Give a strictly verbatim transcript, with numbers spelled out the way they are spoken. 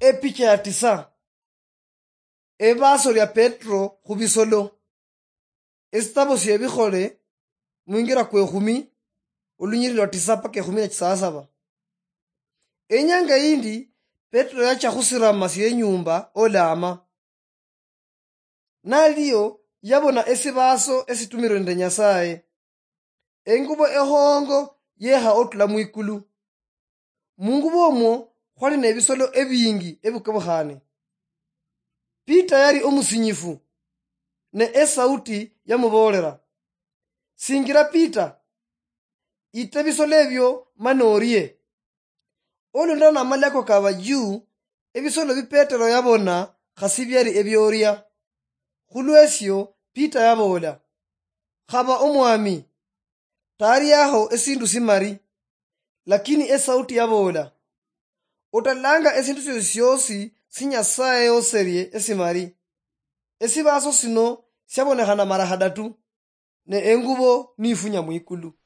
Epicha ya tisa. Ebaaso lya Petro khu bisolo. Esitabo sye Bikhole, mwingira kwe khumi, olunyiriri lwa tisa paka ekhumi na chisasaba. Enyanga yindi, Petro yacha khusirama sye nyumba olama. Nalio yabona esibaaso esitumirwe nende Nyasaye. Engubo ehongo yeha otula mwikulu. Mungubo omwo khwali nebisolo ebingi ebikobokhane. Peter yali omusinyifu, ne esauti yamuboolera, "Singira Peter, ite bisolo ebyo mani orie." Olundana namalako kaba juu, ebisolo bi Petero yabona khasi byali ebyoria. Khulwesyo Peter yaboola, "Khaba Omwami, tariaho esindu simari." Lakini esauti yaboola, "Otalanga esindu siosi siosi si Nyasaye yoserie esimari." Esibaaso sino siabonekhana mara khadatu, ne engubo niifunya mwikulu.